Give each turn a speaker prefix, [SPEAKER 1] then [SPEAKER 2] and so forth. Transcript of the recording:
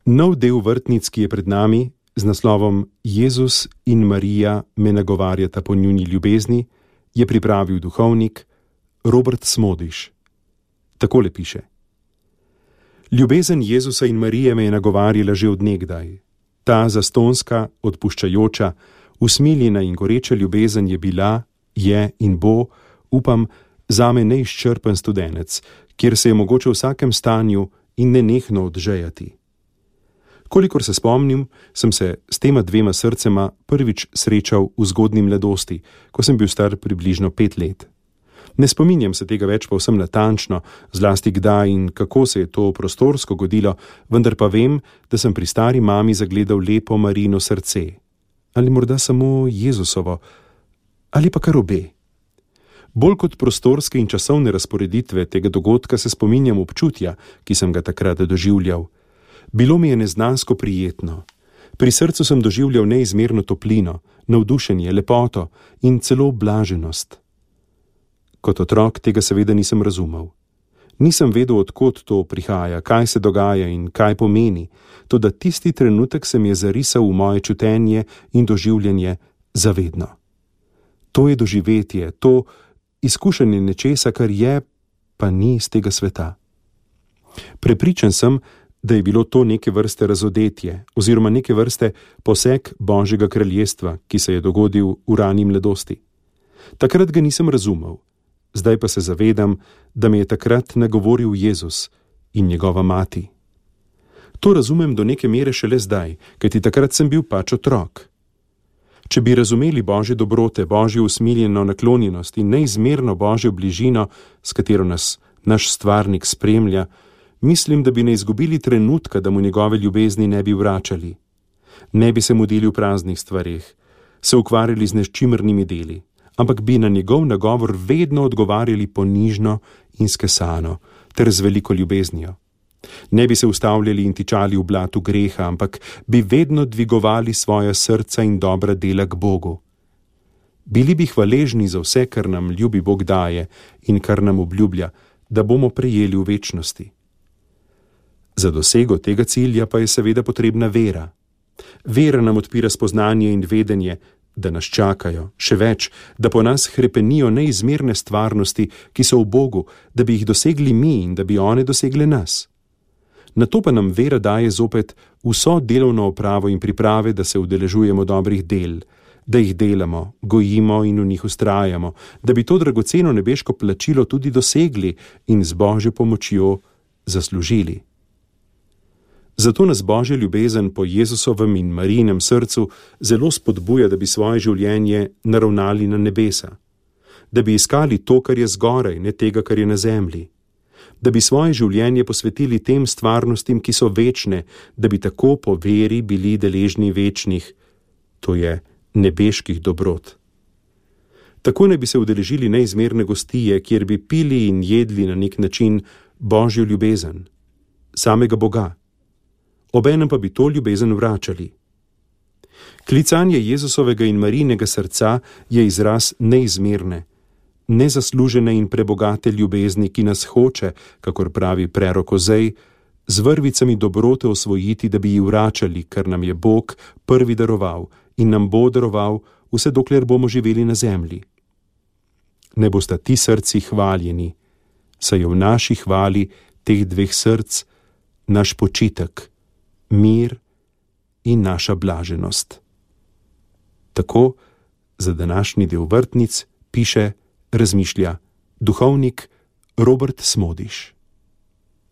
[SPEAKER 1] Nov del vrtnic, ki je pred nami, z naslovom Jezus in Marija me nagovarjata po njuni ljubezni, je pripravil duhovnik Robert Smodiš. Takole piše: Ljubezen Jezusa in Marije me je nagovarjala že od nekdaj. Ta zastonska, odpuščajoča, usmiljena in goreča ljubezen je bila, je in bo, upam, zame neizčrpen studenec, kjer se je mogoče v vsakem stanju in nenehno odžejati. Kolikor se spomnim, sem se s tema dvema srcema prvič srečal v zgodnji mladosti, ko sem bil star približno 5 let. Ne spominjam se tega več povsem natančno, zlasti kdaj in kako se je to prostorsko godilo, vendar pa vem, da sem pri stari mami zagledal lepo Marijino srce. Ali morda samo Jezusovo, ali pa kar obe. Bolj kot prostorske in časovne razporeditve tega dogodka se spominjam občutja, ki sem ga takrat doživljal. Bilo mi je neznansko prijetno. Pri srcu sem doživljal neizmerno toplino, navdušenje, lepoto in celo blaženost. Kot otrok tega seveda nisem razumel. Nisem vedel, od kod to prihaja, kaj se dogaja in kaj pomeni, toda tisti trenutek se mi je zarisal v moje čutenje in doživljanje zavedno. To je doživetje, to izkušanje nečesa, kar je, pa ni iz tega sveta. Prepričan sem, da je bilo to neke vrste razodetje oziroma neke vrste poseg Božjega kraljestva, ki se je dogodil v rani mladosti. Takrat ga nisem razumel, zdaj pa se zavedam, da me je takrat nagovoril Jezus in njegova mati. To razumem do neke mere šele zdaj, kajti takrat sem bil pač otrok. Če bi razumeli Božje dobrote, Božjo usmiljeno naklonjenost in neizmerno Božjo bližino, s katero nas naš stvarnik spremlja, mislim, da bi ne izgubili trenutka, da mu njegove ljubezni ne bi vračali. Ne bi se mudili v praznih stvareh, se ukvarjali z nečimrnimi deli, ampak bi na njegov nagovor vedno odgovarjali ponižno in skesano, ter z veliko ljubeznijo. Ne bi se ustavljali in tičali v blatu greha, ampak bi vedno dvigovali svoja srca in dobra dela k Bogu. Bili bi hvaležni za vse, kar nam ljubi Bog daje in kar nam obljublja, da bomo prejeli v večnosti. Za dosego tega cilja pa je seveda potrebna vera. Vera nam odpira spoznanje in vedenje, da nas čakajo, še več, da po nas hrepenijo neizmerne stvarnosti, ki so v Bogu, da bi jih dosegli mi in da bi one dosegle nas. Nato pa nam vera daje zopet vso delovno opravo in priprave, da se udeležujemo dobrih del, da jih delamo, gojimo in v njih vztrajamo, da bi to dragoceno nebeško plačilo tudi dosegli in z Božjo pomočjo zaslužili. Zato nas Božja ljubezen po Jezusovem in Marijinem srcu zelo spodbuja, da bi svoje življenje naravnali na nebesa, da bi iskali to, kar je zgoraj, ne tega, kar je na zemlji, da bi svoje življenje posvetili tem stvarnostim, ki so večne, da bi tako po veri bili deležni večnih, to je nebeških dobrot. Tako ne bi se udeležili neizmerne gostije, kjer bi pili in jedli na nek način Božjo ljubezen, samega Boga. Obenem pa bi to ljubezen vračali. Klicanje Jezusovega in Marijinega srca je izraz neizmerne, nezaslužene in prebogate ljubezni, ki nas hoče, kakor pravi prerok Ozej, z vrvicami dobrote osvojiti, da bi ji vračali, kar nam je Bog prvi daroval in nam bo daroval, vse dokler bomo živeli na zemlji. Ne bosta ti srci hvaljeni, saj je v naši hvali teh dveh src naš počitek, mir in naša blaženost. Tako za današnji del vrtnic piše, razmišlja duhovnik Robert Smodiš.